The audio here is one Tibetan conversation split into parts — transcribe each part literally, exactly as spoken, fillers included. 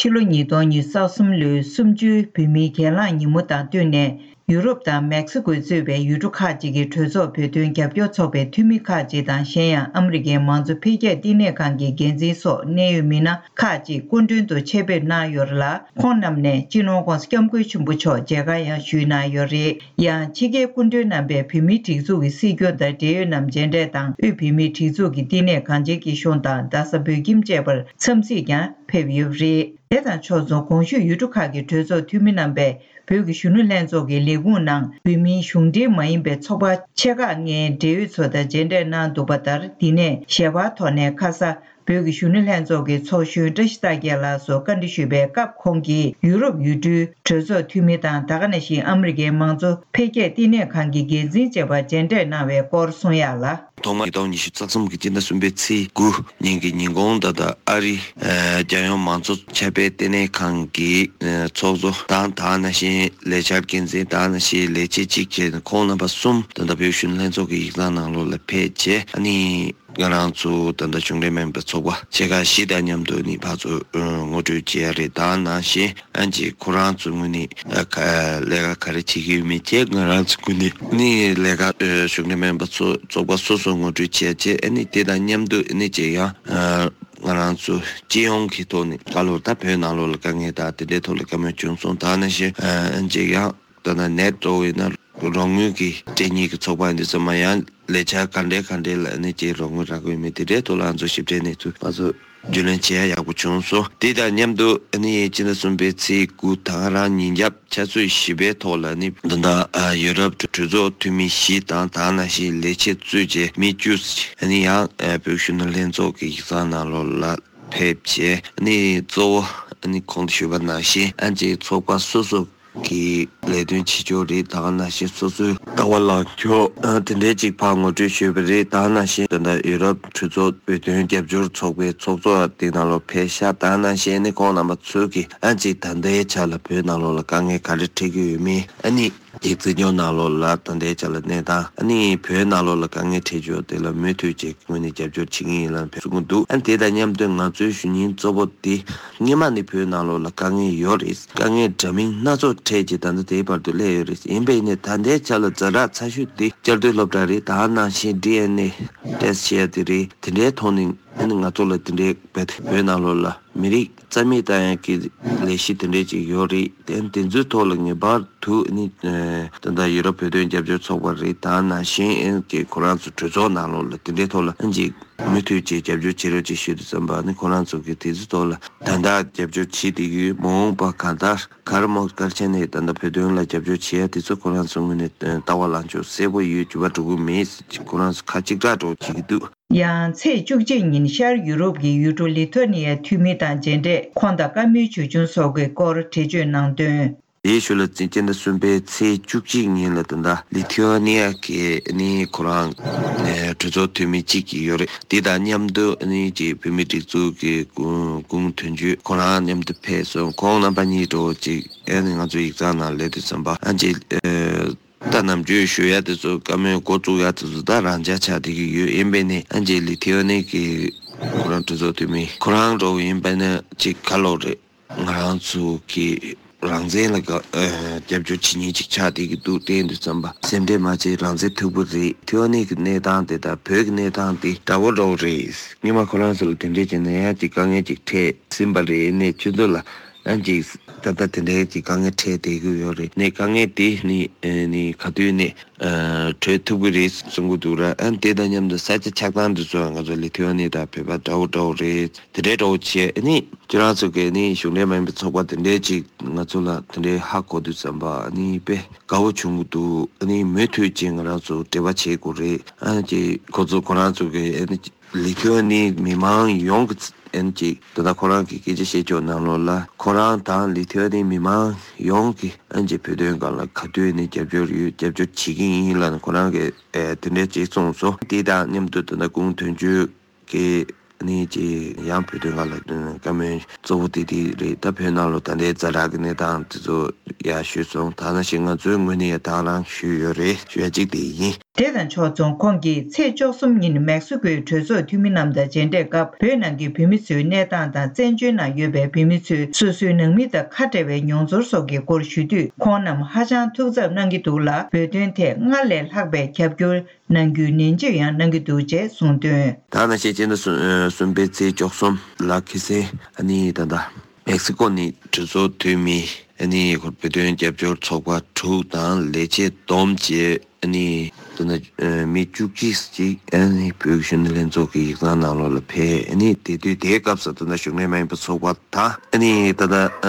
ཕྱི་ལོ་ཉིས་སྟོང་ཉི་ཤུ་རྩ་གསུམ་ལོའི་གསུམ་བཅུའི་བོད་མིའི་གྱེན་ལངས་ཉིན་མོ་དང་བསྟུན་ནས། ཡུ་རོབ་དང་མེག་སི་ཀོས་གཙོས་པའི་ཡུལ་གྲུ་ཁག་ཅིག་གི་གྲོས་ཚོགས་བོད་དོན་རྒྱབ་སྐྱོར་ཚོགས་པའི་འཐུས་མི་ཁག་ཅིག་དང་། གཞན་ཡང་ཨ་མི་རི་ཀའི་མང་གཙོ་འཕེལ་རྒྱས་བསྟི་གནས་ཁང་གི་འགན་འཛིན་སོགས་གནད་ཡོད་མི་སྣ་ཁག་ཅིག་སྐུ་མགྲོན་དུ་ཆེད་ཕེབས་གནང་ཡོད་ལ། ཁོང་རྣམས་ནས་སྤྱི་ནོར་༸གོང་ས་༸སྐྱབས་མགོན་ཆེན་པོ་མཆོག་མཇལ་ཁ་ཡང་ཞུས་གནང་ཡོད་རེད། ཡང་ཕྱི་རྒྱལ་སྐུ་མགྲོན་རྣམ་པས་བོད་མིའི་སྒྲིག་འཛུགས་ཀྱི་སྲིད་སྐྱོང་དང་འབྲེལ་ཡོད་རྣམས་མཇལ་འཕྲད་དང་། དབུས་བོད་མིའི་སྒྲིག་འཛུགས་ཀྱི་བསྟི་གནས་གངས་ཅན་སྐྱིད་གཤོངས་དང་རྡ་ས་བོད་ཁྱིམ་བཅས་པར་འཚམས་གཟིགས་ཀྱང་ཕེབས་ཡོད་པ་རེད། དེ་དང་ཕྱོགས་མཚུངས། གོང་ཞུས་ཡུལ་གྲུ་ཁག་གི་གྲོས་ཚོགས་འཐུས་མི་རྣམ་པས་བོད་ཀྱི་གཞོན་ནུ་ལྷན་ཚོགས་ཀྱི་ལས་ཁུངས་ནང་བོད་མིའི་གཞུང་འབྲེལ་མ་ཡིན་པའི་ཚོགས་པ་ཆེ་ཁག་ལྔའི་འབྲེལ་ཡོད་ཚོ་དང་མཇལ་འཕྲད་གནང་འདུག་པ་ལྟར། འདི་ནས་ཞལ་པར་ཐོག་ནས་ཁ་ས་བོད་ཀྱི་གཞོན་ནུ་ལྷན་ཚོགས་ཀྱི་ཚོགས་གཞོན་བཀྲ་ཤིས་རྟགས་རྒྱལ་ལགས་སུ་བཀའ་འདྲི་ཞུས་པའི་སྐབས། ཁོང་གིས་ཡུ་རོབ་ཡུལ་གྲུའི་གྲོས་ཚོགས་འཐུས་མི་དང་། ད་ག་ནང་བཞིན་ཨ་མི་རི་ཀའི་མང་གཙོ་འཕེལ་རྒྱས་བསྟི་གནས་ཁང་གི་འགན་འཛིན་བཅས་པ་མཇལ་འཕྲད་གནང་བའི་སྐོར་གསུང་ཡག་ལ། ཐོག་མར་ཉིས་སྟོང་ཉི་ཤུ་རྩ་གསུམ་གྱི་སྤྱི་ཟླ་གསུམ་པའི་ཚེས་དགུ་ཉིན་གྱི་ཉིན་གུང་། ད་ལྟ་ཨ་རིའི་ཨ་རྒྱལ་ཡོངས་མང་གཙོ་ཆབ་སྤེལ་བསྟི་གནས་ཁང་གི་ཨ་ཚོགས་གཙོ་དང་། ད་ག་ནང་བཞིན་ལས་འཆར་འགན་འཛིན། ད་ག་ནང་བཞིན་ལས་བྱེད་གཅིག་བྱས་ནས། ཁོང་རྣམ་པ་གསུམ་ད་ལྟ་བོད་གཞོན་ནུ་ལྷན་ཚོགས་ཀྱི་ཡིག་ཚང་ནང་ལོགས་ལ་ཕེབས་བྱས། ཨ་ནི་ང་རང་ཚོ་ད་ལྟ་གཞུང་འབྲེལ་མིན་པའི་ཚོགས་པ་ཆེ་ཁག་བཞི་དང་མཉམ་དུ་ནི་ཕར་ཚུར་ཨ་ངོ་སྤྲོད་བྱས་ཡ་རེད། ད་ག་ནང་བཞིན་ཨ་ཅེ་ཁོ་རང་ཚོ་ངོས་ནས་ཨ་ཁ་ལས་ཀ་ག་རེ་བྱེད་ཀྱི་ཡོད་མེད་བཅས། ང་རང་ཚོ་ངོས་ནས་ནི་ལས་ཀ་ཨ་གཞུང་འབྲེལ་མིན་པ་ཚོ་ཚོགས་པ་སོ་སོ་ངོ་སྤྲོད་བྱས་བྱས། ཨ་ནི་དེ་དང་མཉམ་དུ་ཨ་ནི་ཅེ་ཡང་ཨ་ང་རང་ཚོ་སྤྱི་ཡོངས་ཀྱི་ཐོག་ནས་ཁ་ལོར་ད་བོད་ནང་ལོགས་ལ་དཀའ་ངལ་དང་དེ་འདྲའི་ཐོག་ལ་བཀའ་མོལ་བྱུང་སོང་། ད་ག་ནང་བཞིན་ཨ་ཅེ་ཡང་ད་ནང་ནད་འགྲོ་བས་ན་རོགས་དངུལ་གྱི་སྤྲད་མཁན་གྱི་ཚོགས་པ་འདི་ཚོ་མ་ཡང་ལས་འཆར་ག་འདྲའི་ག་འདྲའི་ལ་ནི་ཅིག་རོགས་དངུལ་རག་གི་ཡོད་མེད་དེ་འདྲའི་ཐོག་ལ་ང་ཚོ་ཞིབ་ཕྲའི་གནས་ཚུལ་ང་ཚོ་རྒྱུས་ལོན་བྱེད་ཡ་ཡག་པོ་བྱུང་སོང་། དེ་དང་མཉམ་དུ་ཨ་ནི་སྤྱི་ཟླ་གསུམ་པའི་ཚེས་དགུ་ད་ག་རང་ཉིན་རྒྱབ་ཆུ་ཚོད་བཞི་པའི་ཐོག་ལ་ནི་ད་ལྟ་ཡུ་རོབ་གྲོས་ཚོགས་འཐུས་མི་བཞི་དང་། ད་ག་ནང་བཞིན་ལས་བྱེད་གཙོས་བྱས་མི་བཅུ་ཨ་ནི་ཡང་བོད་གཞོན་ནུ་ལྷན་ཚོགས་ཀྱི་ཡིག་ཚང་ནང་ལོགས་ལ་ཕེབས་བྱས། ཨ་ནི་གཙོ་བོ་ཨ་ནི་གོང་དུ་ཞུས་པ་ནང་བཞིན་ཨ་ཅེ་ཚོགས་པ་སོ་སོ་གི་ལས་དོན་བྱེད་ཕྱོགས་རེད། ད་ག་ནང་བཞིན་སོ་སོའི་ལྟ་བ་ལངས་ཕྱོགས་ཨ་དེ་འདྲའི་ཅིག་ཕར་ངོ་སྤྲོད་ཞུས་པ་རེད། ད་ག་ནང་བཞིན་ད་ལྟ་ཡུ་རོབ་གྲོས་ཚོགས་བོད་དོན་རྒྱབ་སྐྱོར་ཚོགས་པའི་ཚོགས་གཙོ་དེ་ནང་ལོགས་ཕེབས་ཤག་ད་ག་ནང་བཞིན་ཨ་ནི་ཁོང་རྣམ་པ་ཚོས་ཀྱིས་ཨ་ཅིག་ད་ལྟའི་ཆ་ལ་བོད་ནང་ལོགས་ལ་དཀའ་ངལ་ག་རེ་འཕྲད་ཀྱི་ཡོད་མེད། ཨ་ནི་ཅིག་བཙན་བྱོལ་ནང་ལོགས་ལ་ད་ལྟའི་ཆ་ལ་གནས་སྟངས། ཨ་ནི་བོད་ནང་ལོགས་ལ་དཀའ་ངལ་འཕྲད་ཕྱོགས་དེ་ལ་མུ་མཐུད་ཅིག་ངོས་ནས་རྒྱབ་སྐྱོར་བྱེད་ཀྱི་ཡིན་ལབ་གསུང་གི་འདུག་ཨ་ནི་དེ་དང་མཉམ་དུ་ང་ཚོའི་ཞུ་སྙིང་གཙོ་བོ་དེ། སྔོན་མ་ནི་བོད་ནང་ལོགས་ལ་དཀའ་ངལ་ཡོད་རེད། དཀའ་ངལ་འདྲ་མིན་སྣ་ཚོགས་འཕྲད་ཀྱིས་ད་ལྟ་དེའི་བར་དུ་སླེབས་ཡོད་རེད། ཡིན་པས་ནི་ད་ལྟའི་ཆ་ལ་ཛ་དྲག་ཚ་ཤོས་དེ་བསྐྱར་ཟློས་སློབ་གྲྭ་རེད། ད་ག་ནང་བཞིན་ཌི་ཨེན་ཨེ་ཊེ་སི་ཊི་བྱེད་ཡ་དེ་རེད། དེ་འདྲའི་ཐོག་ནས་ཨ་ནི་ང་ཚོ་ལ་དེ་འདྲའི་བོད་ནང་ལོགས་ལ་མི་རིགས་རྩ་མེད་བཏང་ཡ་གི་ལས་གཞི་དེ་འདྲའི་ཅིག་ཡོད་རེད། དེ་དེ་ཚོའི་ཐོག་ལ་ངེས་པར་དུ་ཨ་ནི་ད་ལྟ་ཡུ་རོབ་བོད་དོན་རྒྱབ་སྐྱོར་ཚོགས་པ་རེད། ད་ག་ནང་བཞིན་ཨ་ནི་ཁོ་རང་ཚོ་གྲོས་ཚོགས་ནང་ལོགས་ལ་དེ་འདྲའི་ཐོག་ལ་ཨ་ནི་ཅིག་མུ་མཐུད་ཅིག་རྒྱབ་སྐྱོར་བྱེད་རོགས་ཅིག་ཞུས་དུས་ཙམ་པ་ནི་ཁོ་རང་ཚོ་གིས་དེ་ཚོའི་ཐོག་ལ་ད་ལྟ་རྒྱབ་སྐྱོར་བྱེད་བསྡད་ཀྱི་ཡོད། མ་འོངས་པ་གང་ལྟར་ག་རེ་མོ་ག་རེ་བྱས་ནས་ད་ལྟ་བོད་དོན་ལ་རྒྱབ་སྐྱོར་བྱེད་ཡ་དེ་ཚོ་ཁོ་རང་ཚོ་ངོས་ནས་ལྟ་བ་ལངས་ཕྱོགས་གསལ་པོ་ཡོད། འགྱུར་བ་འགྲོ་གི་མེད་ཅེས་ཁོ་རང་ཚོ་ཁ་གཅིག་གྲགས་འགྲོ་བྱེད་ཀྱི་འདུག་ཡང་ཚེས་བཅུ་གཅིག་ཉིན་ཤར་ཡུ་རོབ་ཀྱི་ཡུལ་གྲུ་ལི་ཐོ་ནི་ཡའི་འཐུས་མི་དང་མཇལ་འཕྲད། ཁོང་དང་བཀའ་མོལ་བྱུང་བྱུང་སོགས་ཀྱི་སྐོར་འགྲེལ་བརྗོད་གནང་དོན། དེའི་ཤུལ་ལ་སྤྱི་ཟླ་གསུམ་པའི་ཚེས་བཅུ་གཅིག་ཉིན་ལ་ད་ལྟ་ལི་ཐི་ཝ་ནི་ཡ་གི་ནི་ཁོ་རང་ཨེ་གྲོས་ཚོགས་འཐུས་མི་གཅིག་ཡོད་རེད། དེ་དང་མཉམ་དུ་ནི་ཅིག་བོད་མིའི་སྒྲིག་འཛུགས་ཀྱི་སྐུ་ངོ་དོན་གཅོད་ཁོ་རང་མཉམ་དུ་ཕེབས་སོང་། ཁོང་རྣམ་པ་གཉིས་འགྲོ་ཅིག་ཨེ་ནི་ང་ཚོ་ཡིག་ཚང་ནང་སླེབས་དུས་ཙམ་པ་ཨ་ཅེ་ཨེ་ད་ནམ་རྒྱུན་ཞུ་ཡ་དེ་ཚོ་བཀའ་མོལ་འགོ་བཙུགས་ཡ་དེ་ཚོ་ད་རང་འཇགས་ཆགས་བསྡད་ཀྱི་ཡོད། ཡིན་པས་ནི་ཨ་ཅེ་ལི་ཐི་ཝ་ནི་གི་ཁོ་རང་གྲོས་ཚོགས་འཐུས་མི་ཁོ་རང་འགྲོ་ཡིན་པས་ན་ཅིག་ག་ལོག་རེད། ང་རང་ཚོ་གི་རང་བཙན་ལ་དགའ་ཨ་རྒྱབ་སྐྱོར་བྱེད་མཁན་ཅིག་ཆགས་བསྡད་ཀྱི་འདུག་བལྟས་དུས་ཙམ་པ་སེམས་ཁྲལ་མ་བྱེད། རང་བཙན་མཐུག་པོ་རེད། ཐེ་ཝན་གྱི་གནས་སྟངས་དེ་དང་བོད་ཀྱི་གནས་སྟངས་དེ་འདྲ་བོ་འདྲ་བོ་རེད། སྔོན་མ་ཁོ་རང་ཚོ་ལ་དེ་འདྲས་བྱས་ན་ཡང་ཅིག་དཀའ་ངལ་ཅིག་འཕྲད་ཟིན་པ་རེད། ནས་ཁྱོད་ཚོ་ལ་ཡང་ཅིག་ད་ལྟ་དེ་འདྲའི་ཅིག་དཀའ་ངལ་འཕྲད་བསྡད་ཀྱི་ཡོད་རེད། ནས་དཀའ་ངལ་དེ་ནི་ཨ་ནི་ག་དུས་ནས་ཨ་གྲོལ་ཐུབ་ཀྱི་རེད་གསུང་གི་འདུག་ར། ཨ་དེ་དང་མཉམ་དུ་ས་ཆ་ཆགས་སྟངས་དེ་ཚོ་ང་ཚོ་ལི་ཐི་ཝ་ནི་དང་བོད་པ་འདྲ་བོ་འདྲ་བོ་རེད། དེ་འདྲའི་འདྲ་བོ་བྱས་ཨ་ནི་ཁྱེད་རང་ཚོ་གིས་ནི་གཞུང་འབྲེལ་མ་ཡིན་པའི་ཚོགས་པ་དེ་འདྲའི་ཅིག་ང་ཚོ་ལ་དེ་འདྲའི་ཧ་གོ་དུས་ཙམ་པ་ཨ་ནི་དཔེ་དགའ་བོ་བྱུང་གི་འདུག་ཨ་ནི་མུ་མཐུད་ཅིག་ང་རང་ཚོ་འབྲེལ་བ་བྱེད་དགོས་རེད། ཨ་ནི་ཅིག་ཁོ་ཚོ་ཁོ་རང་ཚོ་གིས་ཨ་ནི་ལི་ཐི་ཝ་ནི་མི་མང་ཡོངས་ཀྱི་ཨ་ནི་ཅིག་ད་ལྟ་ཁོ་རང་གི་སྐད་ཆ་བཤད་ཕྱོགས་ནང་ལོགས་ལ་ཁོ་རང་དང་ལི་ཐི་ཝ་ནི་མི་མང་ཡོངས་ཀྱི་ཨ་ནི་ཅིག་བོད་དོན་སྒང་ལ་ག་དུས་ནས་རྒྱབ་སྐྱོར་ཡོད། རྒྱབ་སྐྱོར་བྱེད་ཀྱི་ཡིན་ལབ་ནས་ཁོ་རང་གིས་ཨེ་དེ་འདྲའི་ཅིག་གསུངས་སོང་། དེ་དང་མཉམ་དུ་ད་ལྟ་སྐུ་ངོ་དོན་གཅོད་ཀྱིས་ནི་ཅིག་ཡང་བོད་དོན་སྒང་ལ་བཀའ་མོལ་གཙོ་བོ་དེ་དེ་རེད། ད་བོད་ནང་ལོགས་ད་ལྟའི་ཛ་དྲག་གི་གནས་སྟངས་དེ་ཚོ་ཡང་ཞུས་སོང་། ད་ནང་བཞིན་ང་ཚོའི་ངོས་ནས་ཡང་དང་རང་ཞུས་ཡོད་རེད། ཞུ་ཡ་གཅིག་དེ་ཡིན། དེ་དང་ཕྱོགས་མཚུངས། ཁོང་གིས་ཚེས་བཅུ་གསུམ་ཉིན་མེག་སི་ཀོའི་གྲོས་ཚོགས་འཐུས་མི་རྣམས་དང་མཇལ་འཕྲད་སྐབས། བོད་ནང་གི་བོད་མི་ཚོའི་གནས་སྟངས་དང་། བཙན་བྱོལ་ནང་ཡོད་པའི་བོད་མི་ཚོས་སོ་སོའི་ནང་མི་དང་ཁ་བྲལ་བའི་མྱོང་ཚོར་སོགས་ཀྱི་སྐོར་ཞུ་དུས། ཁོང་རྣམས་ཧ་ཅང་ཐུགས་འཚབ་གནང་གི་འདུག་ལ། བོད་དོན་ཐད་སྔར་ལས་ལྷག་པའི་རྒྱབ་སྐྱོར་གནང་རྒྱུའི་ནན་བརྗོད་ཡང་གནང་གི་འདུག་ཅེས་གསུངས་དོན། ད་ནང་བཞིན་སྤྱི་ཟླ་གསུམ་གསུམ་པའི་ཚེས་བཅུ་གསུམ་ལ་ཁ་སང་ཨ་ནི་ད་ལྟ་མེག་སི་ཀོ་ནས་གྲོས་ཚོགས་འཐུས་མི་ཨ་ནི་བོད་དོན་རྒྱབ་སྐྱོར་ཚོགས་པ་དྲུག་དང་ལས་བྱེད་བསྡོམས་བྱས། ཨ་ནི་ད་ལྟ་མི་བཅུ་གཅིག་ཅིག་ཨ་ནི་བོད་ཀྱི་གཞོན་ནུ་ལྷན་ཚོགས་ཀྱི་ཡིག་ཚང་ནང་ལོགས་ལ་ཕེབས། ཨ་ནི་དེ་དུས་དེའི་སྐབས་སུ་ད་ལྟ་གཞུང་འབྲེལ་མ་ཡིན་པའི་ཚོགས་པ་དང་། ཨ་ནི་ད་ལྟ་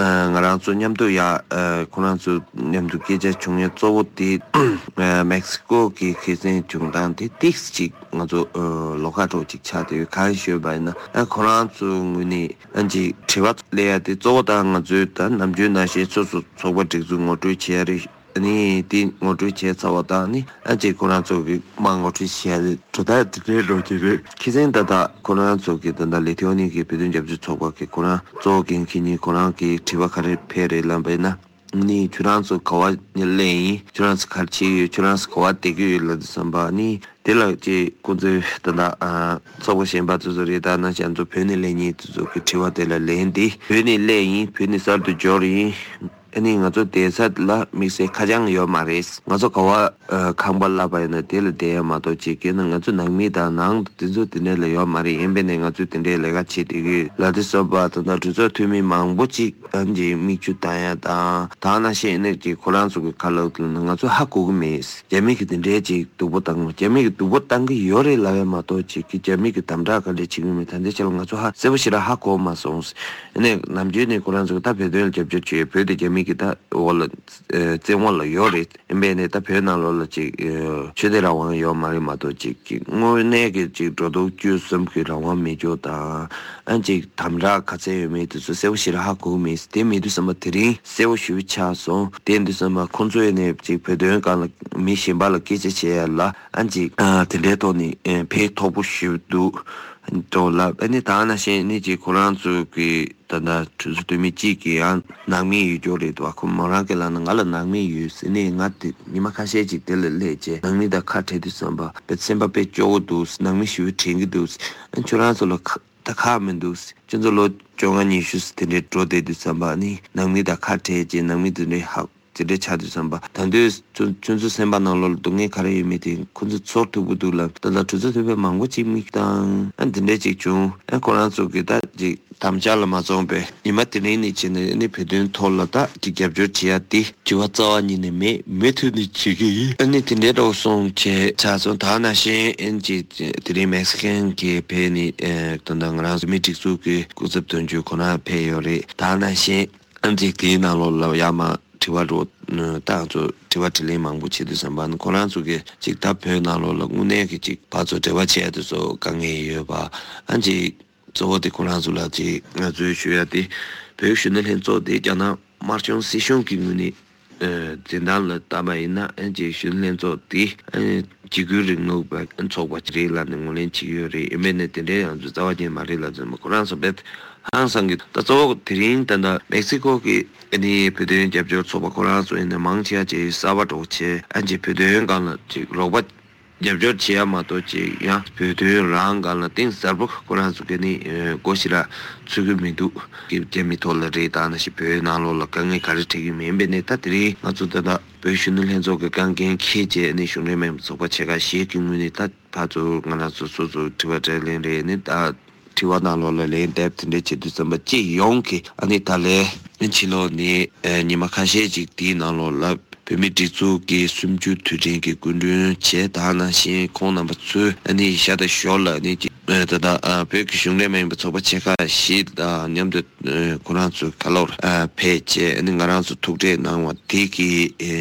ང་རང་ཚོ་མཉམ་དུ་ཡ་ཁོ་རང་ཚོ་མཉམ་དུ་སྐད་ཆ་བྱུང་ཡ་གཙོ་བོ་དེ་མེག་སི་ཀོ་གི་ཁ་སང་བྱུང་སྟངས་དེ་ཏིག་ཙམ་ཅིག་ང་ཚོ་ལོགས་ཀ་འདྲ་བོ་ཅིག་ཆགས་བསྡད་ཡོད། གང་ཞུས་པ་ཡིན་ན། ཁོ་རང་ཚོའི་ངོས་ནས་ཨ་ཅིག་དྲི་བ་སླེབས་ཡ་དེ་གཙོ་བོ་ད་ང་ཚོའི་ད་ནམ་རྒྱུན་ནང་བཞིན་སོ་སོ་ཚོགས་པ་སྒྲིག་འཛུགས་ངོ་སྤྲོད་བྱས་རེད། ཨ་ནི་དེ་ངོ་སྤྲོད་བྱས་ཚར་བ་དང་། ཨ་ནི་ཨ་ཅིག་ཁོ་རང་ཚོ་གི་མ་ངོ་སྤྲོད་བྱས་རེད། གྲུབ་མཐའ་དེ་འདྲའི་འགྲོ་གི་རེད། ཁ་སང་ད་ལྟ་ཁོ་རང་ཚོ་གི་ད་ལྟ་ལི་ཐི་ཝ་ནི་གི་བོད་དོན་རྒྱབ་སྐྱོར་ཚོགས་པ་གི་ཁོ་རང་གཙོ་བོ་འགན་འཁྱེར་མཁན་ཁོ་རང་གི་དྲི་བ་ག་རེ་ཕེབས་རེད་ལབ་པ་ཡིན་ན། ནི་ཁྱོད་རང་ཚོ་ག་བ་ནས་སླེབས་ཡིན། ཁྱོད་རང་ཚོ་ག་རེ་བྱེད་ཀྱི་ཡོད། ཁྱོད་རང་ཚོ་ག་བ་བསྡད་ཀྱི་ཡོད་ལབ་དུས་ཙམ་པ། ནི་དེ་ལ་ཅིག་ཁོང་ཚོས་ད་ལྟ་ཚོགས་པ་གཞན་པ་ཚོ་ཚོ་རེད། ད་ནང་བཞིན་ང་ཚོ་བོད་ནས་སླེབས་མཁན་དེ་ཚོ་གི་དྲི་བ་དེ་ལ་ལན་འདི། བོད་ནས་སླེབས་ཡིན། བོད་ནས་གསར་དུ་འབྱོར་ཡིན། ཨ་ནི་ང་ཚོ་བསྡད་ས་ལ་དམིགས་བསལ་ཁ་བྱང་ཡོད་མ་རེད། ང་ཚོ་ག་བ་ཁང་པ་གླ་པ་ཡིན་ན་དེ་ལ་བསྡད་ཡ་མ་གཏོགས། ཅིག་གི་ན་ང་ཚོ་ནང་མི་དང་ནང་དེ་ཚོ་དེ་འདྲ་ལ་ཡོད་མ་རེད། ཡིན་པས་ནས་ང་ཚོས་དེ་འདྲའི་ལས་ཀ་བྱེད་བསྡད་ཀྱི་ཡོད་ལབ་དུས་ཙམ་པ། ད་ལྟ་གྲོས་ཚོགས་འཐུས་མི་མང་པོ་ཅིག་ཨ་ནི་མིག་ཆུ་བཏང་ཡ་དང་། དེ་ནང་བཞིན་ནས་ཅིག་ཁོ་རང་ཚོ་གི་ཁ་ལོག་ལ་ང་ཚོ་ཧ་གོ་གི་མེད། རྒྱ་མི་གིས་དེ་འདྲའི་ཅིག་སྡུག་པོ་བཏང་། རྒྱ་མི་གིས་སྡུག་པོ་བཏང་གི་ཡོད་རེད་ལབ་ཡ་མ་གཏོགས། ཅིག་གི་རྒྱ་མི་གིས་དམ་དྲག་ག་འདྲ་བྱེད་ཀྱི་མེད། ད་ལྟའི་ཆ་ལ་ང་ཚོ་ཧ་གསལ་པོ་ཞེ་དྲག་ཧ་གོ་མ་སོང་། ཨ་ནི་ནམ་རྒྱུན་ནས་ཁོ་རང་ཚོ་གི་ད་བོད་དོན་ལ་རྒྱབ་སྐྱོར་བྱེད། བོད་དེ་རྒྱ་མི་གི་ད་འོག་ལ་བཙན་འོག་ལ་ཡོད་རེད། ཡིན་པས་ནས་ད་བོད་ནང་ལོགས་ལ་ཅིག་ཆོས་དད་རང་དབང་ཡོད་མ་རེད་མ་གཏོགས། ཅིག་གི་དངོས་གནས་ཀྱི་ཅིག་འགྲོ་འདུག་སྤྱོད་གསུམ་གྱི་རང་དབང་མེད་ཅོག་དང་། ཨ་ཅིག་དམ་དྲག་ག་ཚད་ཡོད་མེད་དེ་ཚོ་གསལ་པོ་ཞེ་དྲག་ཧ་གོ་གི་མེད། དེ་མེད་དུས་ཙམ་པ་དེ་རིང་གསལ་པོ་ཞེ་པོ་ཆགས་སོང་། དེ་ཡིན་དུས་ཙམ་པ་ཁོང་ཚོ་ཡིན་ནས་ཅིག་བོད་དོན་སྒང་ལ་མི་གཞན་པ་ལ་སྐད་ཆ་བྱེད་ཡ་ལ་ཨ་ཅིག་དེ་འདྲའི་ཐོག་ནས་ཕན་ཐོགས་པོ་ཞེ་པོ་འདུག་འགྲོ་ལབ། ཨ་ནི་དེ་ནང་བཞིན་ནི་ཅིག་ཁོ་རང་ཚོ་གི་ད་ལྟ་གྲོས་ཚོགས་འཐུས་མི་གཅིག་གིས་ཡང་ནང་མི་ཡོད་ཅོག་རེད་འདུག་བ། ཁོ་མོ་རང་གིས་ལབ་ན་ང་ལ་ནང་མི་ཡོད་ཟེར་ནས། ང་དེ་ཉི་མ་ཁ་ཤས་ཅིག་དེ་ལ་སླེབས་བྱས་ནང་མི་དང་ཁ་བྲལ་དུས་ཙམ་པ་དཔེ་སེམས་པ་དཔེ་སྐྱོ་བོ་འདུག་ནང་མི་ཞེ་པོ་དྲན་གྱི་འདུག་ཨ་ཁྱོད་རང་ཚོ་ལ་ཁ་ད་ཁག་མི་འདུག་ཁྱོད་ཚོ་ལོ་བཅོ་ལྔ་ཉི་ཤུ་དེ་འདྲའི་འགྲོ་བསྡད་དུས་ཙམ་པ་ནི་ནང་མི་དང་ཁ་བྲལ་བྱས་ནང་མི་དེ་འདྲའི་ཧ་དེ་འདྲའི་ཆགས་དུས་ཙམ་པ། ད་དུང་ཁྱོད་ཁྱོད་ཚོའི་སེམས་པ་ནང་ལོགས་ལ་སྡུག་བསྔལ་ག་རེ་ཡོད་མེད་དེ་ཁོ་ཚོ་ཚོར་ཐུབ་ཀྱི་འདུག་ལབ། ད་ལྟ་གྲོས་ཚོགས་འཐུས་མི་མང་པོ་ཅིག་མིག་བཏང་། ཨ་དེ་འདྲ་ཅིག་བྱུང་། ཨ་ཁོ་རང་ཚོ་གི་ད་ཅིག་དམ་བཅའ་ལ་མ་བརྩོན་པས་ཉི་མ་དེ་རིང་ནས་བྱས་ནས་ཨ་ནི་བོད་དོན་ཐོག་ལ་ད་ཅིག་རྒྱབ་སྐྱོར་བྱེད་ཡ་དེ་དྲི་བ་རྩ་བ་ཉིད་ནས་མེད། མུ་མཐུད་ནས་བྱེད་ཀྱི་ཡིན། ཨ་ནི་དེ་འདྲའི་འདྲ་བོ་སོང་བྱས་ཆགས་སོང་། ད་ནང་བཞིན་ཨ་ནི་ཅིག་དེ་རིང་མེག་སི་ཀན་གྱི་ཕེབས་ནས་ཨ་ད་ལྟ་ང་རང་ཚོ་མི་སྒྲིག་འཛུགས་ཀྱི་སྐུ་ཚབ་དོན་གཅོད་ཁོ་རང་ཕེབས་ཡོད་རེད། ད་ནང་བཞིན། ཨ་ནི་ཅིག་དེའི་ནང་ལོགས་ལ་ཡར་མར་དྲི་བ་འདྲ་བོ་ད་ང་ཚོ་དྲི་བ་དྲིས་ལན་མང་པོ་བྱེད་དུས་ཙམ་པ་ནི་ཁོ་རང་ཚོ་གིས་ཅིག་ད་བོད་ནང་ལོགས་ལ་དངོས་གནས་ཀྱི་ཅིག་ཕར་ཚུར་འབྲེལ་བ་བྱེད་ཡ་དེ་ཚོ་དཀའ་ངལ་ཡོད་པ། ཨ་ནི་ཅིག་གཙོ་བོ་དེ་ཁོ་རང་ཚོ་ལ་ཅིག་ང་ཚོའི་ཞུ་ཡ་དེ། བོད་གཞོན་ནུ་ལྷན་ཚོགས་དེ་རྒྱ་ནག་དམར་གཞུང་སྲིད་གཞུང་གི་ངོས་ནས་འཛིན་སྟངས་ལ་བལྟས་པ་ཡིན་ན། ཨ་ནི་ཅིག་གཞོན་ནུ་ལྷན་ཚོགས་དེ་ཨ་ནི་འཇིགས་སྐུལ་རིང་ལུགས་པའི་ཚོགས་པ་ཅིག་རེད་ལབ་ནས་ངོས་ལེན་བྱེད་ཀྱི་ཡོད་རེད། ཡིན་པས་ནས་དེ་འདྲའི་ང་ཚོ་རྩ་བ་ཉིད་མ་རེད་ལབ་ཙམ་ཁོ་རང་ཚོ་དཔེ་ཧང་སང་གི། ད་གཙོ་བོ་དེ་རིང་ད་ལྟ་མེག་སི་ཀོ་གི་ཨ་ནི་བོད་དོན་རྒྱབ་སྐྱོར་ཚོགས་པ་ཁོ་རང་ཚོ་ཡིན་ན་མང་ཆེ་བ་ཅིག་གསར་པ་འདྲ་བོ་བྱས། ཨ་ནི་ཅིག་བོད་དོན་སྒང་ལ་ཅིག་རོགས་པ་རྒྱབ་སྐྱོར་བྱེད་ཡ་མ་གཏོགས་ཅིག་ཡང་བོད་དོན་རང་སྒང་ལ་གཏིང་ཟབ་པོ་ཁོ་རང་ཚོ་གི་ནི་སྒོ་ཞེ་དྲག་ཚུགས་ཀྱི་མི་འདུག་གི། རྒྱ་མི་ཐོག་ལ་རེད། ད་ནང་བཞིན་བོད་ནང་ལོགས་ལ་དཀའ་ངལ་ག་རེ་འཕྲད་ཀྱི་མིན་པས་ནས། ད་དེ་རིང་ང་ཚོ་ད་ལྟ་བོད་གཞོན་ནུ་ལྷན་ཚོགས་ཀྱི་རྐང་འགན་འཁྱེར་བྱས་ནས་གཞུང་འབྲེལ་མིན་པའི་ཚོགས་པ་ཆེ་ཁག་བཞི་གི་ངོས་ནས་ད་ཕར་ཚུར་ང་རང་ཚོ་སོ་སོ་དྲི་བ་དྲིས་ལན་རེད། ནི་ད་དྲི་བ་ནང་ལོགས་ལ་ལན་འདེབས་དེ་འདྲ་བྱེད་དུས་ཙམ་པ་སྤྱི་ཡོངས་ཀྱི་ཨ་ནི་ད་ལན་ཕྱི་ལོགས་ནས་ཨ་ཉི་མ་ཁ་ཤས་ཅིག་དེའི་ནང་ལོགས་ལ་བོད་མིའི་སྒྲིག་འཛུགས་ཀྱི་གསུམ་བཅུའི་དུས་དྲན་གྱི་སྐུ་མགྲོན་བྱས། ད་ནང་བཞིན་ཁོང་རྣམ་པ་ཚོས་ཨ་ནི་ཤ་སྟག་ཞོར་ལ་ཨ་ནི་ཅིག་ཨ་ད་ལྟ་ཨ་བོད་ཀྱི་གཞུང་འབྲེལ་མ་ཡིན་པའི་ཚོགས་པ་ཆེ་ཁག་བཞི་དང་མཉམ་དུ་ཨ་ཁོ་རང་ཚོའི་ཁ་ལོར་ཨ་ཕེབས་བྱས། ཨ་ནི་ང་རང་ཚོ་ཐུག་འཕྲད་གནང་བ་དེ་གི་ཨ་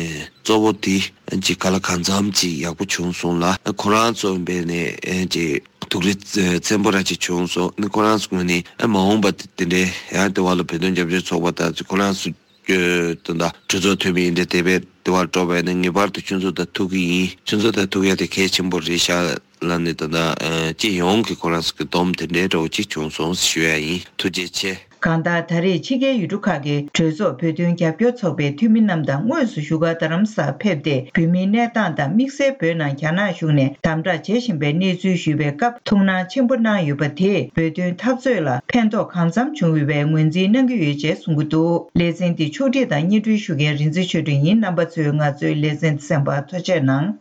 གཙོ་བོ་དེ་ཨ་ཅིག་ག་ལ་གང་འཚམ་ཅིག་ཡག་པོ་བྱུང་སོང་ལ། ཨ་ཁོ་རང་ཚོ་འབད་ནས་ཨ་ཅིག་ཐུགས་རེ་ཚ་ཚིམ་པོ་ར་ཅིག་བྱུང་སོང་། ཨ་ནི་ཁོ་རང་ཚོ་ངོས་ནས་ཨ་མ་འོངས་པ་དེ་འདྲའི་ཡང་དེ་བ་ལ་བོད་དོན་རྒྱབ་སྐྱོར་ཚོགས་པ་དང་ཁོ་རང་ཚོ་ད་ལྟ་གྲོས་ཚོགས་འཐུས་མི་ཡིན་འདྲ་དེ་བས་དེ་བར་འགྲོ་བས་ནས་ངེས་པར་དུ་ཁྱོད་ཚོ་དང་ཐུག་གི་ཡིན། ཁྱོད་ཚོ་དང་ཐུག་ཡ་དེ་གལ་ཆེན་པོ་རེད་ཤག་ལབ་ནས་ད་ལྟ་ཨ་སྤྱི་ཡོངས་ཀྱི་ཁོ་རང་ཚོ་གི་སྡོམ་དེ་འདྲའི་འདྲ་བོ་ཅིག་བྱུང་སོང་ཞུ་ཡ་ཡིན། ཐུགས་རྗེ་ཆེ། གང་ལྟར། ད་རེས་ཕྱི་རྒྱལ་ཡུལ་གྲུ་ཁག་གི་གྲོས་ཚོགས་བོད་དོན་རྒྱབ་སྐྱོར་ཚོགས་པའི་འཐུས་མི་རྣམས་དང་དངོས་སུ་བཞུགས་སྒར་རྡ་རམ་ས་ལར་ཕེབས་ཏེ། བོད་མིའི་གནས་སྟངས་དང་དམིགས་བསལ་བོད་ནང་རྒྱ་ནག་གཞུང་ནས་དམ་དྲག་བྱེད་བཞིན་པའི་གནས་ཚུལ་ཞུས་པའི་སྐབས། ཐུགས་སྣང་ཆེན་པོ་གནང་ཡོད་པ་དེས་བོད་དོན་འཐབ་རྩོད་ལ་ཕན་ཐོགས་གང་འཚམ་བྱུང་ཡོད་པའི་ངོས་འཛིན་གནང་གི་ཡོད་ཅེས་གསུང་གི་འདུག་ལེ་ཚན་འདི་ཕྱོགས་སྒྲིག་དང་སྙན་སྒྲོན་ཞུ་མཁན་རིག་འཛིན་ཆོས་སྒྲོན་ཡིན། རྣམ་པ་ཚོས་ང་ཚོའི་ལེ་ཚན་གསན་པར་ཐུགས་རྗེ་གནང་།